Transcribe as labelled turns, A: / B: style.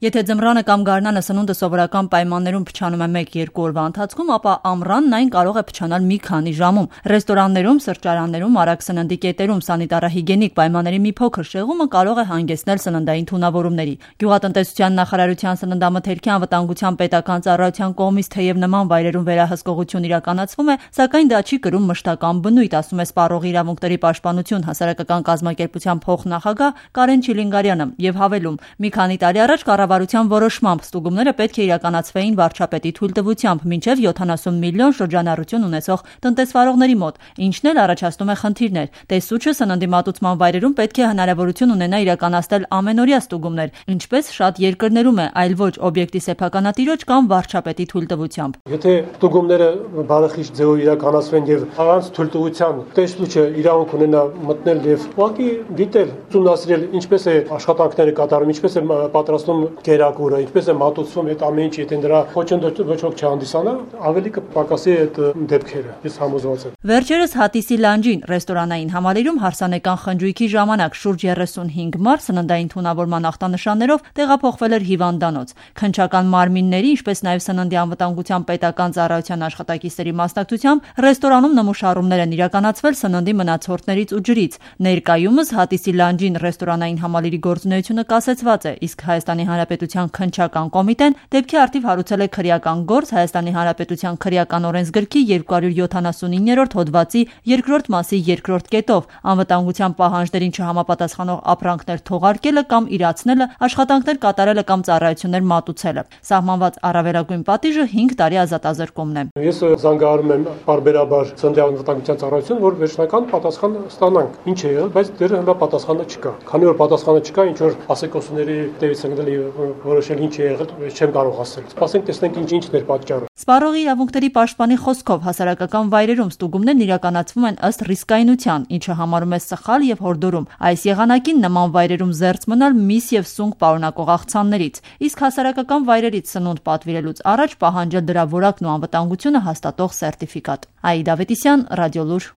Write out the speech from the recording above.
A: Եթե ձմռանը կամ գարնանը սնունդը սովորական պայմաններում փչանում է 1-2 օրվա ընթացքում, ապա ամռանն այն կարող է փչանալ մի քանի ժամում։ Ռեստորաններում, սրճարաններում, արագ սննդի կետերում սանիտարահիգիենիկ պայմանների մի փոքր շեղումը կարող է հանգեցնել սննդային թունավորումների։ Գյուղատնտեսության նախարարության սննդամթերքի անվտանգության պետական ծառայության կողմից թեև նման վայրերում վերահսկողություն իրականացվում է, սակայն դա չի կրում մշտական բնույթ, ասում է Սպառողի իրավունքների պաշտպանություն հասարակական կազմակերպության փոխնախագահ Կարեն Չիլինգարյանը եւ հավելում՝ մի քանի տարի առաջ կառավարության որոշմամբ ստուգումները պետք է իրականացվեին վարչապետի թույլտվությամբ մինչև 70 միլիոն շրջանառություն ունեցող տնտեսվարողների մոտ, ինչն էլ առաջացնում է խնդիրներ։ Տեսուչը սննդի մատուցման վայրերում պետք է հնարավորություն ունենա իրականացնել ամենօրյա ստուգումներ, ինչպես շատ երկրներում է, այլ ոչ օբյեկտի սեփականատիրոջ կամ վարչապետի թույլտվությամբ։
B: Եթե ստուգումները բարեխիղճ ձևով իրականացվեն եւ առանց թույլտվության տեսուչը իրավունք ունենա մտնել եւ ուղղակի դիտել, ուսումնասիրել ինչպես է աշխատանքները կատարում, ինչպես է պատրաստում կերակուրը, ինչպես է մատուցվում այդ ամեն ինչ, եթե դրա խոչընդոտ ոչ ոք չհանդիսանա, ավելի կպակասի այդ դեպքերը։ Ես համոզված եմ։
A: Վերջերս Հատիսի լանջին ռեստորանային համալիրում հարսանեկան խնջույքի ժամանակ շուրջ 35 մարդ սննդային թունավորման ախտանշաններով տեղափոխվել էր հիվանդանոց։ Քննչական մարմինների, ինչպես նաև սննդի անվտանգության պետական ծառայության աշխատակիցների մասնակցությամբ ռեստորանում նմուշառումներ են իրականացվել սննդի մնացորդներից ու ջրից։ Ներկայումս Հատիսի լանջին ռեստորանային համալիրի գործունեությունը կասեցված է, իսկ Հայաստանի Հանրապետության քննչական կոմիտեն դեպքի առթիվ հարուցել է քրեական գործ Հայաստանի Հանրապետության քրեական օրենսգրքի 279-րդ հոդվածի 2-րդ մասի 2-րդ կետով անվտանգության պահանջներին չհամապատասխանող ապրանքներ թողարկելը կամ իրացնելը, աշխատանքներ կատարելը կամ ծառայություններ մատուցելը։ Սահմանված առավելագույն պատիժը 5 տարի ազատազրկումն է։
B: Ես զանգահարում եմ բարբերաբար Սննդի անվտանգության ծառայություն, որ վերջնական պատասխան ստանանք։ Ինչ է եղել, բայց դեռ հենց պատասխանը չկա։ Քանի որ պատասխանը չկա, ինչ որ ասեկոսուների տևից ընկնել որոշել ինչ է եղել, չեմ կարող ասել։ Սպասենք տեսնենք ինչն էր պատճառը։
A: Սպառողի իրավունքների պաշտպանի խոսքով հասարակական վայրերում ստուգումներն իրականացվում են ըստ ռիսկայնության, ինչը համարում է սխալ եւ հորդորում։ Այս եղանակին նման վայրերում զերծ մնալ միս եւ սունկ պարունակող աղցաններից, իսկ հասարակական վայրերից սնունդ պատվիրելուց առաջ պահանջել դրա որակն ու անվտանգությունը հաստատող սերտիֆիկատ։ Աիդա Ավետիսյան, Ռադիոլուր։